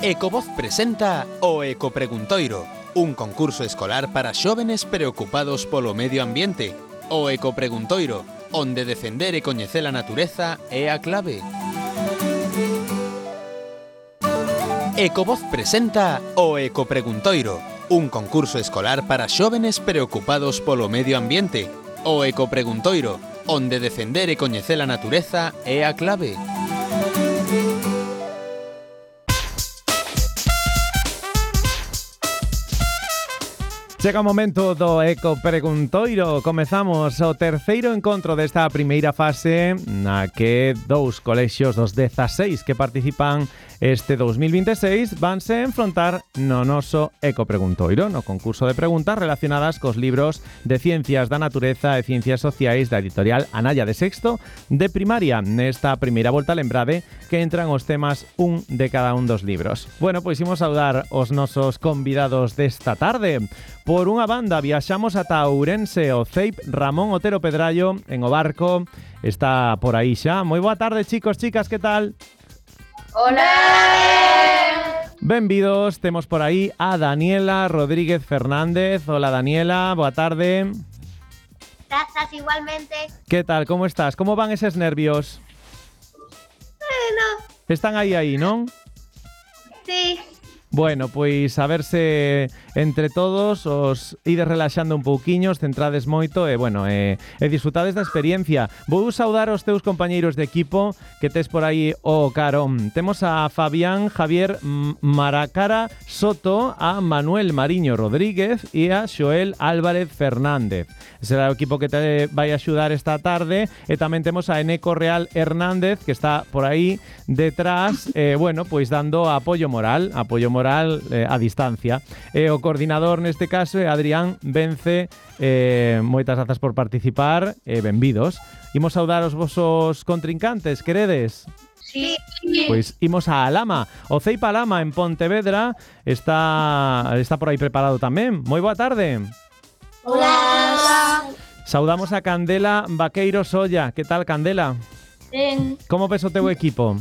Ecovoz presenta o Ecopreguntoiro, un concurso escolar para xóvenes preocupados polo medio ambiente. O Ecopreguntoiro, onde defender e coñecer a natureza é a clave. Ecovoz presenta o Ecopreguntoiro, un concurso escolar para xóvenes preocupados polo medio ambiente. O Ecopreguntoiro, onde defender e coñecer a natureza é a clave. Chega o momento do Ecopreguntoiro. Comezamos o terceiro encontro desta primeira fase na que dous colexios dos 16 que participan este 2026 vanse enfrontar no noso Ecopreguntoiro, no concurso de preguntas relacionadas cos libros de Ciencias da Natureza e Ciencias Sociais da editorial Anaya de sexto de primaria. Nesta primeira volta, lembrade que entran os temas un de cada un dos libros. Bueno, pois imos saudar os nosos convidados desta tarde. Por unha banda, viaxamos ata Ourense, o CEIP Ramón Otero Pedrallo, en o barco, está por aí xa. Moi boa tarde, chicos, chicas, que tal? Hola! Benvidos, temos por aí a Daniela Rodríguez Fernández. Hola, Daniela, boa tarde. Grazas, igualmente. Que tal, como estás? Como van eses nervios? Bueno, Están aí, non? sí. Bueno, pois a verse entre todos os ides relaxando un pouquiño, os centrades moito e, bueno, e disfrutades da experiencia. Vou saudar os teus compañeiros de equipo que tes por aí o carón. Temos a Fabián Javier Maracara Soto, a Manuel Mariño Rodríguez e a Xoel Álvarez Fernández. Será o equipo que te vai axudar esta tarde. E tamén temos a Eneco Real Hernández, que está por aí detrás, bueno, pois dando apoio moral a distancia. E o coordinador neste caso é Adrián Vence. Moitas grazas por participar e benvidos. Imos saudar os vosos contrincantes, queredes? Sí. Pois imos a Alama. O CEIP Alama en Pontevedra está por aí preparado tamén. Moi boa tarde. Hola. Saudamos a Candela Vaqueiro Solla. Que tal, Candela? Ben, Como ves o teu equipo?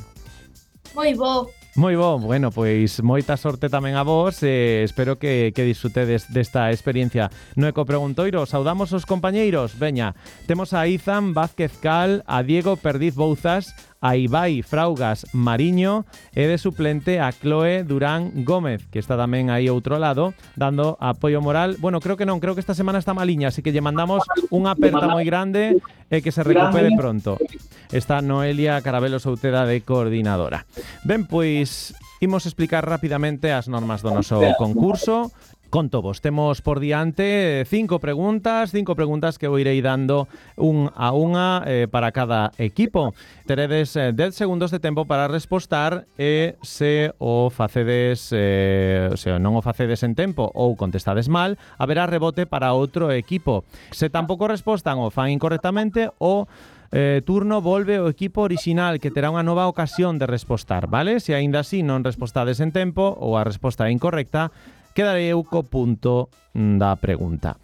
moi bo. Moi bo, bueno, pois moita sorte tamén a vos e espero que disfrutedes desta experiencia no Ecopreguntoiro. Saudamos os compañeiros. Veña, temos a Izan Vázquez Cal, a Diego Perdiz Bouzas, a Ibai Fraugas Mariño e de suplente a Chloe Durán Gómez, que está tamén aí outro lado, dando apoio moral. Bueno, creo que esta semana está maliña, así que lle mandamos unha aperta moi grande e que se recupere pronto. Está Noelia Carabelo Souteda de coordinadora. Ben, pois imos explicar rapidamente as normas do noso concurso. Conto vos, temos por diante 5 preguntas que vou irei dando un a unha para cada equipo. Teredes 10 segundos de tempo para respostar e se o facedes, non o facedes en tempo ou contestades mal, haberá rebote para outro equipo. Se tampouco respostan ou fan incorrectamente, o turno volve o equipo orixinal, que terá unha nova ocasión de respostar, vale? Se aínda así non respostades en tempo ou a resposta é incorrecta, quedarei eu co punto da pregunta.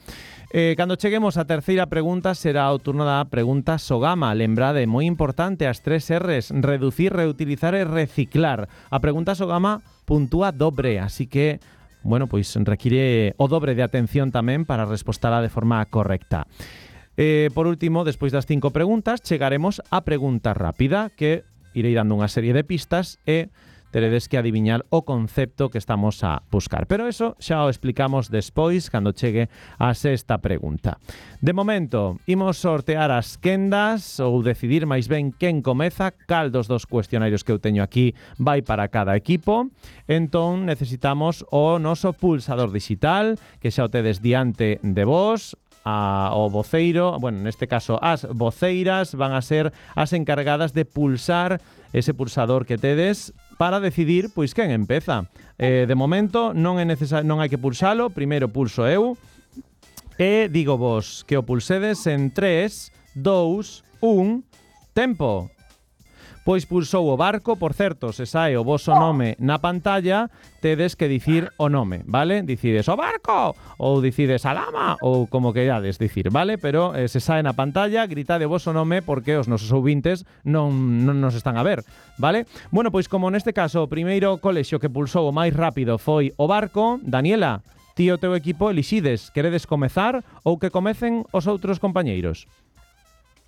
Cando cheguemos á terceira pregunta será o turno da pregunta Sogama. Lembrade, moi importante, as 3 R's: reducir, reutilizar e reciclar. A pregunta Sogama puntúa dobre, así que, bueno, pois require o dobre de atención tamén para respostala de forma correcta. Por último, despois das 5 preguntas, chegaremos á pregunta rápida, que irei dando unha serie de pistas e teredes que adiviñar o concepto que estamos a buscar. Pero eso xa o explicamos despois, cando chegue a sexta pregunta. De momento, imos sortear as quendas ou decidir máis ben quen comeza, cal dos cuestionarios que eu teño aquí vai para cada equipo. Entón, necesitamos o noso pulsador digital, que xa o tedes diante de vos. O voceiro, bueno, neste caso as voceiras van a ser as encargadas de pulsar ese pulsador que tedes para decidir pois quen empeza. De momento non é necesario, non hai que pulsalo, primeiro pulso eu e digo vos que o pulsedes en 3, 2, 1, tempo. Pois pulsou o barco, por certo, se sae o voso nome na pantalla, tedes que dicir o nome, vale? Dicides o barco, ou dicides a lama, ou como querades dicir, vale? Pero se sae na pantalla, gritade o voso nome porque os nosos ouvintes non nos están a ver, vale? Bueno, pois como neste caso o primeiro colexio que pulsou o máis rápido foi o barco, Daniela, ti e o teu equipo elixides, queredes comezar ou que comecen os outros compañeiros?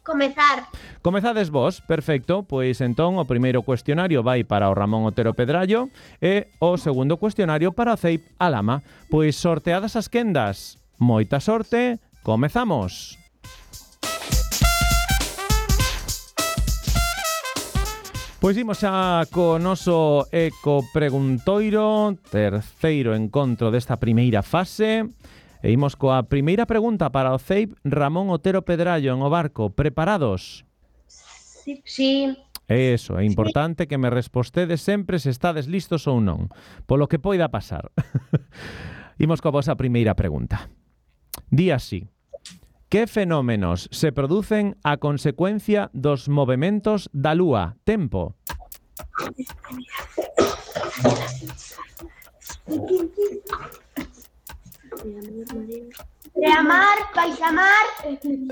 Comezar. Comezades vos, perfecto, pois entón o primeiro cuestionario vai para o Ramón Otero Pedrallo e o segundo cuestionario para o Ceip Alama. Pois sorteadas as quendas, moita sorte, comezamos. Pois imos xa co noso Eco Preguntoiro, terceiro encontro desta primeira fase. E imos coa primeira pregunta para o Ceip Ramón Otero Pedrallo en o barco. Preparados? Sí. Eso, é importante que me respostedes sempre se estades listos ou non, polo que poida pasar. Imos coa vosa primeira pregunta. Di así: que fenómenos se producen a consecuencia dos movementos da Lúa? Tempo. Preamar, baixamar,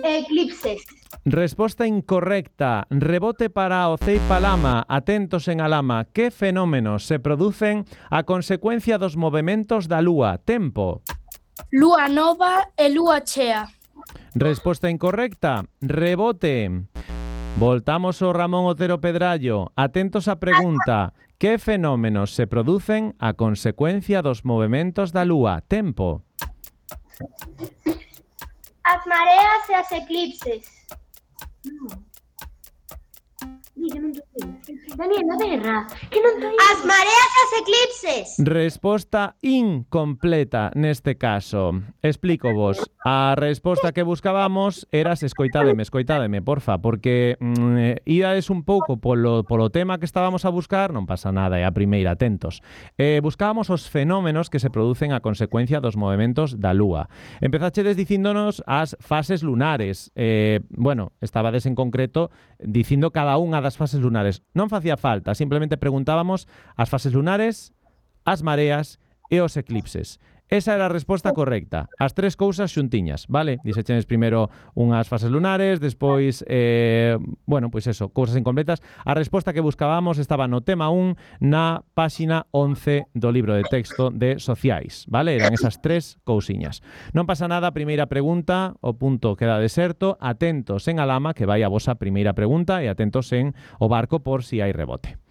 eclipses. Resposta incorrecta. Rebote para o Ceip Alama. Atentos en Alama. Que fenómenos se producen a consecuencia dos movementos da Lúa? Tempo. Lúa nova e lúa chea. Resposta incorrecta. Rebote. Voltamos ao Ramón Otero Pedrallo. Atentos á pregunta. Que fenómenos se producen a consecuencia dos movementos da Lúa? Tempo. As mareas e as eclipses. Daniel, non terra. Que non toi. As mareas e as eclipses. Resposta incompleta neste caso. Explico vos. A resposta que buscábamos era escoitádeme, porfa, porque íades un pouco polo tema que estábamos a buscar, non pasa nada, é a primeira, atentos. Buscábamos os fenómenos que se producen a consecuencia dos movementos da Lúa. Empezachedes dicíndonos as fases lunares. Bueno, estabades en concreto dicindo cada unha das fases lunares. Non facía falta, simplemente preguntábamos as fases lunares, as mareas e os eclipses. Esa era a resposta correcta. As tres cousas xuntiñas, vale? Dixechenes primeiro unhas fases lunares, despois, bueno, pois eso, cousas incompletas. A resposta que buscábamos estaba no tema 1, na páxina 11 do libro de texto de Sociais, vale? Eran esas tres cousiñas. Non pasa nada, primeira pregunta, o punto queda deserto. Atentos en Alama, que vai a vosa primeira pregunta, e atentos en o barco por si hai rebote.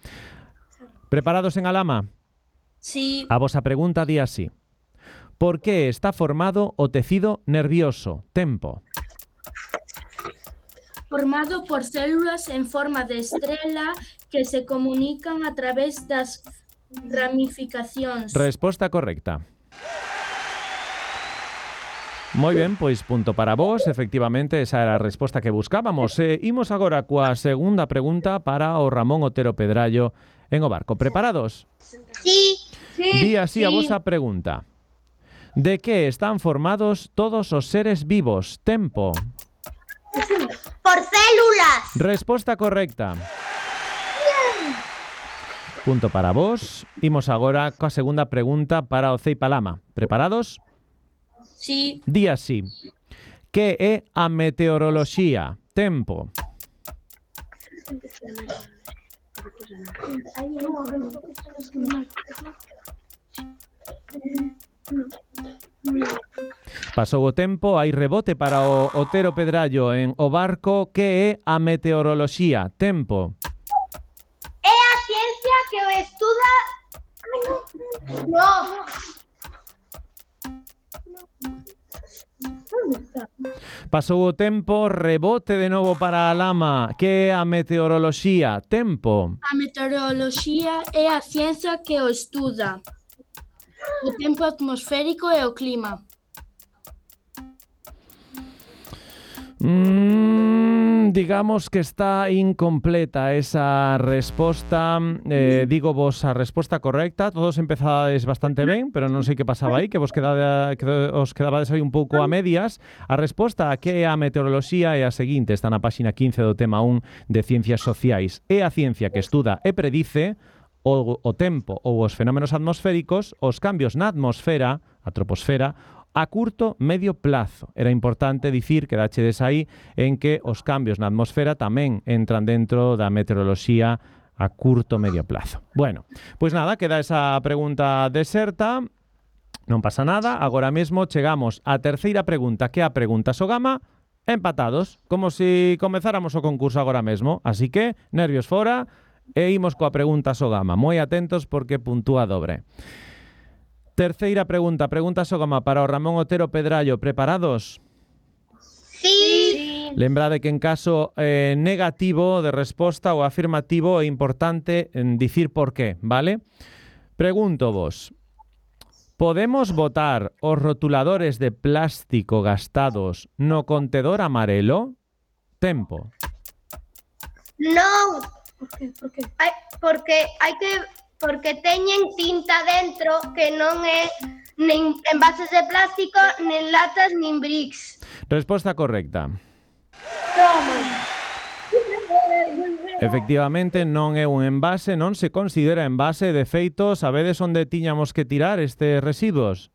Preparados en Alama? Sí. A vosa pregunta di así: por que está formado o tecido nervioso? Tempo. Formado por células en forma de estrela que se comunican a través das ramificacións. Resposta correcta. Moi ben, pois punto para vos. Efectivamente, esa era a resposta que buscábamos. Imos agora coa segunda pregunta para o Ramón Otero Pedrallo en o barco. Preparados? Sí. Di así a vosa pregunta: de que están formados todos os seres vivos? Tempo. Por células. Resposta correcta. Punto para vos. Imos agora coa segunda pregunta para o Ceip Alama. Preparados? Sí. Di así: que é a meteoroloxía? Tempo. Pasou o tempo, hai rebote para o Otero Pedrallo en o barco. Que é a meteoroloxía? Tempo. É a ciencia que o estuda. No. Pasou o tempo, rebote de novo para a Lama. Que é a meteoroloxía? Tempo. A meteoroloxía é a ciencia que o estuda o tempo atmosférico e o clima. Digamos que está incompleta esa resposta. Digo vos a resposta correcta. Todos empezades bastante ben, pero non sei que pasaba aí, que os quedabades aí un pouco a medias. A resposta a que é a meteoroloxía é a seguinte, está na páxina 15 do tema 1 de Ciencias Sociais. É a ciencia que estuda e predice o tempo ou os fenómenos atmosféricos, os cambios na atmosfera, a troposfera, a curto, medio plazo. Era importante dicir que dachedes aí en que os cambios na atmosfera tamén entran dentro da meteoroloxía a curto, medio plazo. Bueno, pois nada, queda esa pregunta deserta. Non pasa nada. Agora mesmo chegamos á terceira pregunta, que é a pregunta Sogama, empatados, como se comezáramos o concurso agora mesmo. Así que, nervios fora, e imos coa pregunta Sogama. Moi atentos porque puntúa dobre. Terceira pregunta, pregunta Sogama para o Ramón Otero Pedrallo. Preparados? Sí. Lembrade que en caso negativo de resposta ou afirmativo é importante dicir por qué, vale? Pregunto vos, podemos botar os rotuladores de plástico gastados no contedor amarelo? Tempo. Non, Por qué? porque teñen tinta dentro que non é nin envases de plástico, nin latas, nin bricks. Resposta correcta. Efectivamente, non é un envase, non se considera envase. De feito, sabedes onde tiñamos que tirar estes residuos?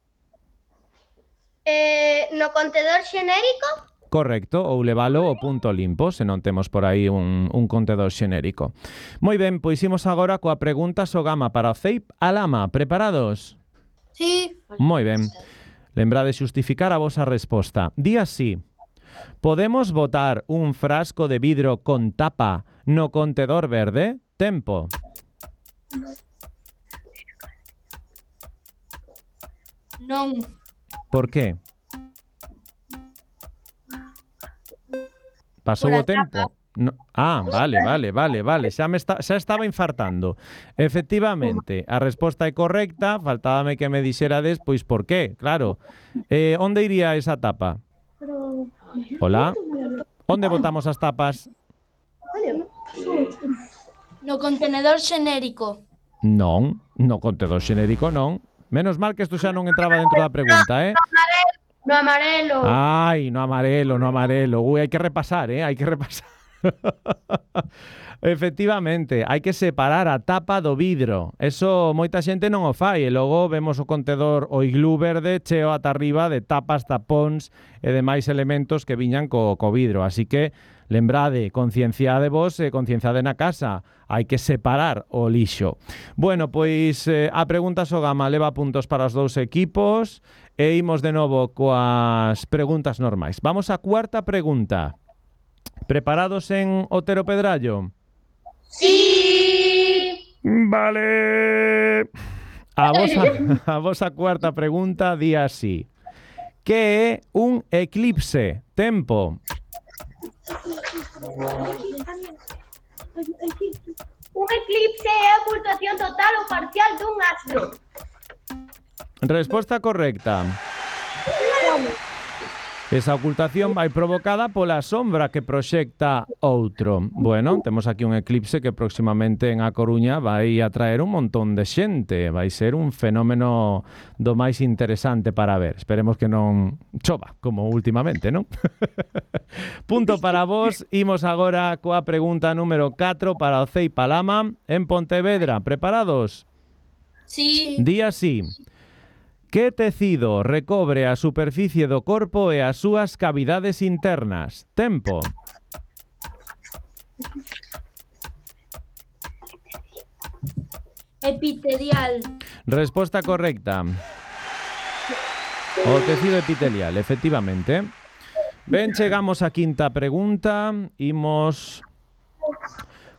No contedor xenérico? Correcto, ou levalo ao punto limpo, se non temos por aí un contedor xenérico. Moi ben, pois imos agora coa pregunta Sogama para o Ceip Alama. Preparados? Sí. Moi ben. Lembrade xustificar a vosa resposta. Di así: podemos botar un frasco de vidro con tapa no contedor verde? Tempo. Non. Por qué? Pasou o tempo? No. Ah, vale. Xa estaba infartando. Efectivamente, a resposta é correcta. Faltábame que me dixerades, pois, por qué, claro. Onde iría esa tapa? Hola? Onde botamos as tapas? No contenedor xenérico. Non, no contenedor xenérico non. Menos mal que isto xa non entraba dentro da pregunta, No amarelo. Ai, no amarelo. Ui, hai que repasar, hai que repasar. Efectivamente, hai que separar a tapa do vidro. Eso moita xente non o fai e logo vemos o contedor, o iglú verde cheo ata arriba de tapas, tapóns e demais elementos que viñan co vidro. Así que lembrade, concienciade vos e concienciade na casa. Hai que separar o lixo. Bueno, pois a pregunta Sogama leva puntos para os dous equipos e imos de novo coas preguntas normais. Vamos á cuarta pregunta. Preparados en Otero Pedrallo? Sí. Vale. A vosa cuarta pregunta di así: que é un eclipse? Tempo. Un eclipse é a ocultación total ou parcial dun astro. Resposta correcta. Esa ocultación vai provocada pola sombra que proxecta outro. Bueno, temos aquí un eclipse que próximamente en A Coruña vai atraer un montón de xente. Vai ser un fenómeno do máis interesante para ver. Esperemos que non chova, como últimamente, non? Punto para vos. Imos agora coa pregunta número 4 para o Ceip Alama en Pontevedra. Preparados? Sí. Di así: que tecido recobre a superficie do corpo e as súas cavidades internas? Tempo. Epitelial. Resposta correcta. O tecido epitelial, efectivamente. Ben, chegamos á quinta pregunta. Imos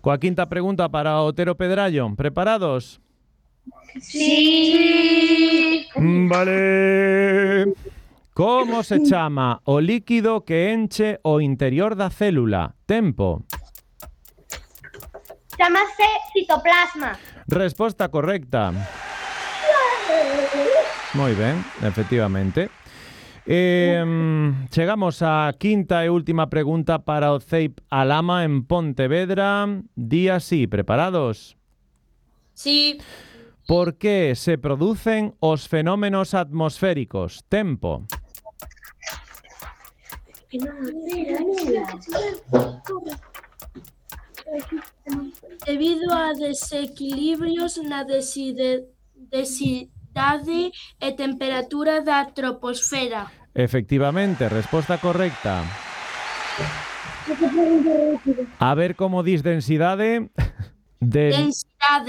coa quinta pregunta para Otero Pedrallo. Preparados? Sí. Vale. Como se chama o líquido que enche o interior da célula? Tempo. Chámase citoplasma. Resposta correcta. Moi ben, efectivamente. Chegamos á quinta e última pregunta para o CEIP Alhama en Pontevedra. Di así, preparados? Sí. Por que se producen os fenómenos atmosféricos? Tempo. Debido a desequilibrios na densidade e temperatura da troposfera. Efectivamente, resposta correcta. A ver como dis densidade.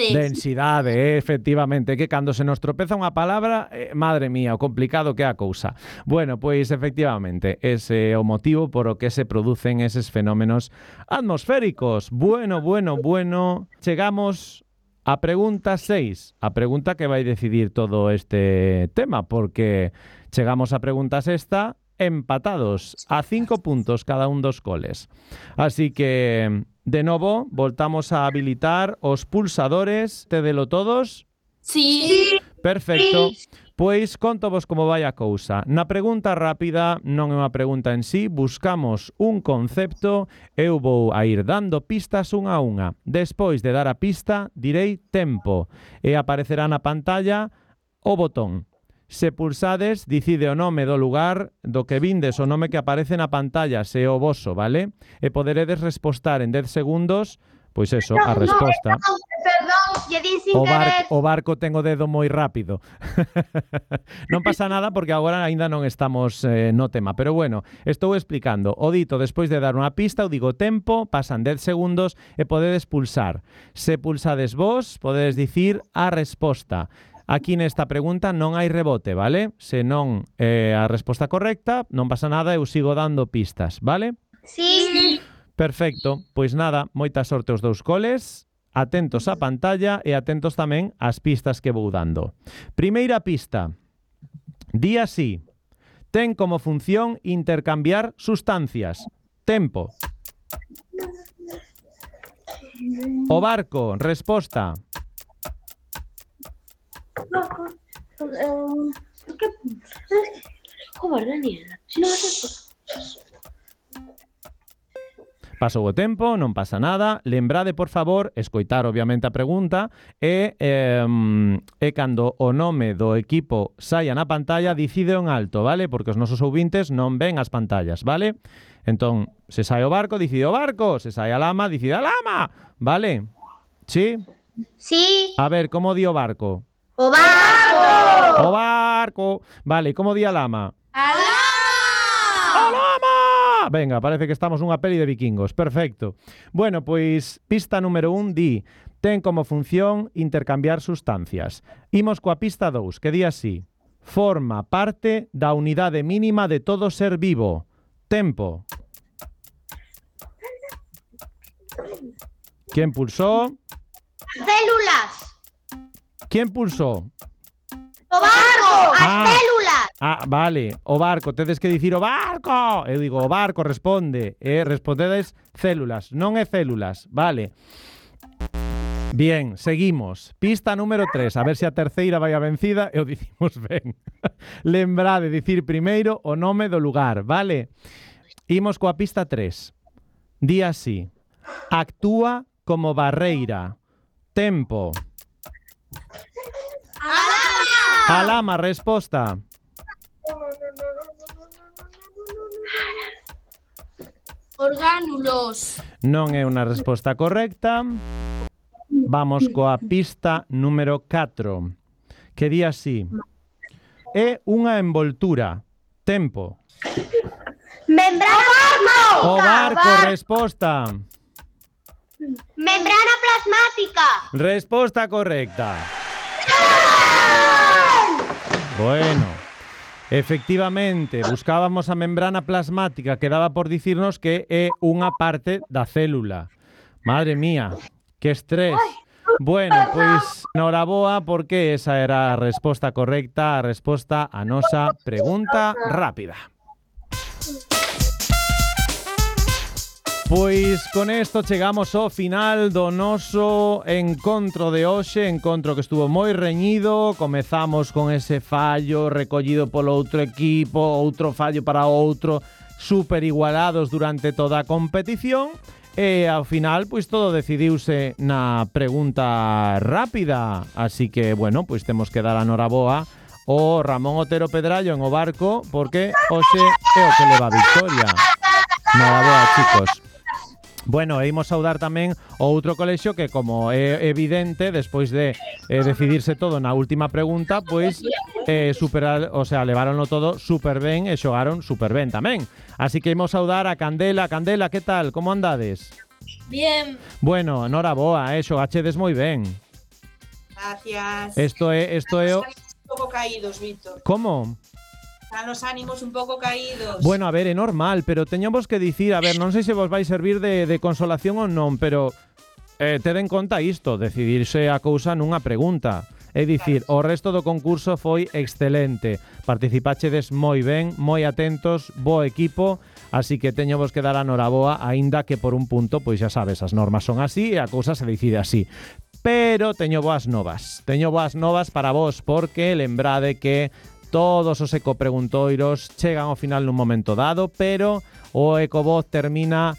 Densidade, efectivamente, que cando se nos tropeza unha palabra, madre mía, o complicado que é a cousa. Bueno, pois efectivamente, ese é o motivo por o que se producen eses fenómenos atmosféricos. Bueno. Chegamos a pregunta 6, a pregunta que vai decidir todo este tema, porque chegamos a pregunta sexta empatados a 5 puntos cada un dos coles. Así que, de novo, voltamos a habilitar os pulsadores. Tedelo todos? Sí. Perfecto. Pois contovos como vai a cousa. Na pregunta rápida non é unha pregunta en sí, buscamos un concepto, eu vou a ir dando pistas unha a unha. Despois de dar a pista, direi tempo e aparecerá na pantalla o botón. Se pulsades, dicide o nome do lugar do que vindes, o nome que aparece na pantalla, se o voso, vale? E poderedes respostar en 10 segundos, pois eso, a resposta. Perdón, lle din sin querer. O barco ten o dedo moi rápido. Non pasa nada porque agora aínda non estamos no tema. Pero bueno, estou explicando. O dito, despois de dar unha pista, eu digo tempo, pasan 10 segundos e podedes pulsar. Se pulsades vos, podedes dicir a resposta. Aquí nesta pregunta non hai rebote, vale? Se non a resposta correcta, non pasa nada, eu sigo dando pistas, vale? Sí. Perfecto, pois nada, moita sorte aos dous coles, atentos á pantalla e atentos tamén ás pistas que vou dando. Primeira pista, di así, ten como función intercambiar sustancias. Tempo. O barco, resposta. Joder, Daniel, si non vas Pasou o tempo, non pasa nada. Lembrade, por favor, escoitar obviamente a pregunta e cando o nome do equipo saia na pantalla, dicide en alto, vale? Porque os nosos ouvintes non ven as pantallas, vale? Entón, se sai o barco, dicide o barco. Se sai a lama, dicide a lama, vale? Sí? Sí. A ver, como di o barco? O barco. O barco. Vale, como di a lama? A lama. A lama. Venga, parece que estamos nunha peli de vikingos. Perfecto. Bueno, pois pista número 1 di ten como función intercambiar sustancias. Imos coa pista 2, que di así. Forma parte da unidade mínima de todo ser vivo. Tempo. ¿Quién pulsó? Células. ¿Quién pulsó? O barco. As células. Vale, o barco, tedes que dicir o barco. Eu digo o barco, responde. Respondedes células, non é células, vale. Bien, seguimos. Pista número 3, a ver se a terceira vai a vencida e o dicimos ben. Lembrade dicir primeiro o nome do lugar, vale? Imos coa pista 3. Di así. Actúa como barreira. Tempo. A lama, resposta. Orgánulos. Non é unha resposta correcta. Vamos coa pista número 4, que di así. É unha envoltura. Tempo. Membrana plasmática. O barco, resposta. Membrana plasmática. Resposta correcta. Bueno, efectivamente, buscábamos a membrana plasmática que daba por dicirnos que é unha parte da célula. Madre mía, que estrés. Bueno, pois, noraboa, porque esa era a resposta correcta, a resposta a nosa pregunta rápida. Pois con isto chegamos ao final do noso encontro de hoxe, encontro que estuvo moi reñido. Comezamos con ese fallo recollido polo outro equipo, outro fallo para outro, super igualados durante toda a competición. E ao final, pois todo decidiuse na pregunta rápida. Así que, bueno, pois temos que dar a noraboa ao Ramón Otero Pedrallo en o barco, porque hoxe é o que leva a victoria. Noraboa, chicos. Bueno, e imos saudar tamén o outro colexio que, como é evidente, despois de decidirse todo na última pregunta, pois leváronlo todo super ben e xogaron super ben tamén. Así que imos saudar a Candela. Candela, que tal? Como andades? Bien. Bueno, noraboa, xogachedes moi ben. Gracias. Isto é Un pouco caídos, Víctor. Como? Están os ánimos un pouco caídos. Bueno, a ver, é normal, pero teñamos que dicir, a ver, non sei se vos vai servir de consolación ou non, pero ted en conta isto, decidirse a cousa nunha pregunta. É dicir, o resto do concurso foi excelente. Participachedes moi ben, moi atentos, bo equipo, así que teño vos que dar a noraboa, aínda que por un punto, pois xa sabes, as normas son así e a cousa se decide así. Pero teño boas novas. Teño boas novas para vos, porque lembrade que todos os ecopreguntoiros chegan ao final nun momento dado, pero o Ecovoz termina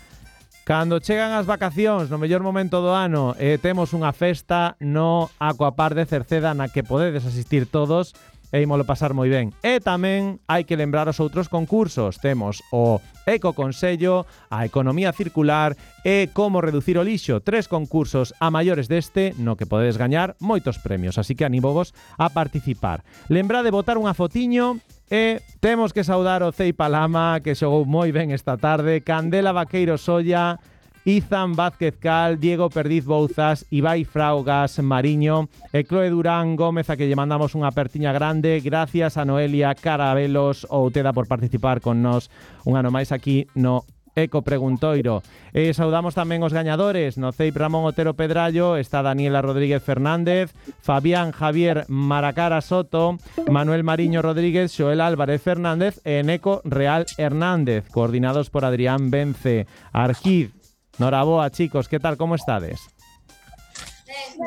cando chegan as vacacións, no mellor momento do ano, e temos unha festa no Aquapark de Cerceda na que podedes asistir todos e ímolo pasar moi ben. E tamén hai que lembrar os outros concursos. Temos o Ecoconsello, a Economía Circular e Como reducir o lixo. 3 concursos a maiores deste no que podedes gañar moitos premios. Así que anímovos a participar. Lembrade botar unha fotiño e temos que saudar o Ceipa Lama, que xogou moi ben esta tarde, Candela Vaqueiro Solla, Izan Vázquez Cal, Diego Perdiz Bouzas, Ibai Fraugas Mariño e Chloe Durán Gómez, a que lle mandamos unha apertiña grande. Gracias a Noelia Carabelos Outeda por participar con nós un ano máis aquí no Ecopreguntoiro. E saudamos tamén os gañadores. No CEIP Ramón Otero Pedrallo está Daniela Rodríguez Fernández, Fabián Javier Maracara Soto, Manuel Mariño Rodríguez, Xoel Álvarez Fernández e Eneco Real Hernández, coordinados por Adrián Vence Arquiz. Noraboa, chicos, que tal, como estades?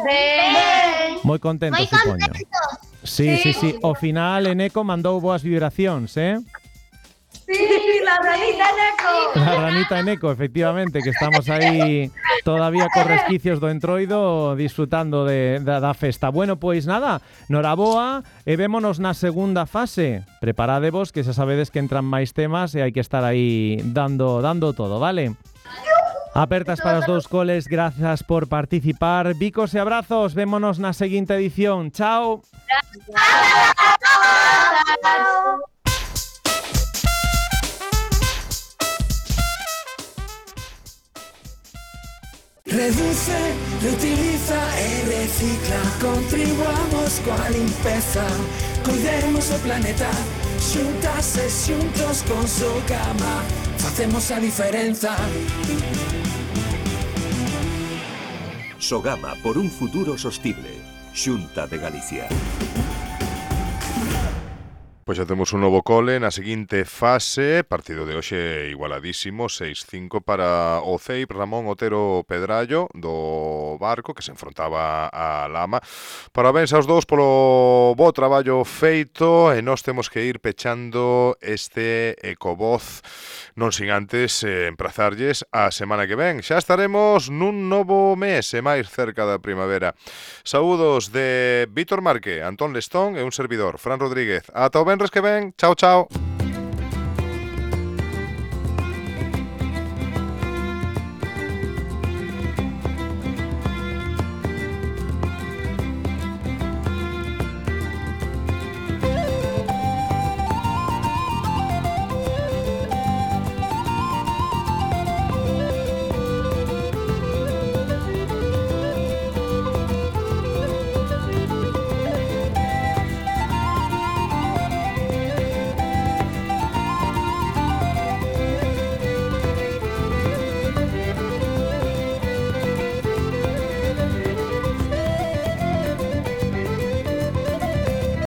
Ben. Moi contentos, Moi supoño. contentos. Sí. Ao final, Eneco mandou boas vibracións, Sí, la ranita Neco. La ranita Eneco, efectivamente, que estamos aí todavía con resquicios do entroido disfrutando da festa. Bueno, pois nada, noraboa e vémonos na segunda fase. Preparadevos, que xa sabedes que entran máis temas e hai que estar aí dando todo, vale? Apertas para os dous coles, grazas por participar. Bicos e abrazos, vémonos na seguinte edición. Chao. Reduce, reutiliza e recicla. Contribuamos coa limpeza. Cuidemos o planeta. Xuntas e xuntos con Sogama facemos a diferenza. Sogama por un futuro sostible. Xunta de Galicia. Pois xa temos un novo cole na seguinte fase. Partido de hoxe igualadísimo, 6-5 para o CEIP Ramón Otero Pedrallo do barco, que se enfrontaba a Lama. Parabéns aos dous polo bo traballo feito, e nós temos que ir pechando este Ecovoz, non sin antes emprazarlles a semana que ven. Xa estaremos nun novo mes e máis cerca da primavera. Saúdos de Víctor Marque, Antón Lestón e un servidor, Fran Rodríguez. Ata o venres que ven. Chao, chao.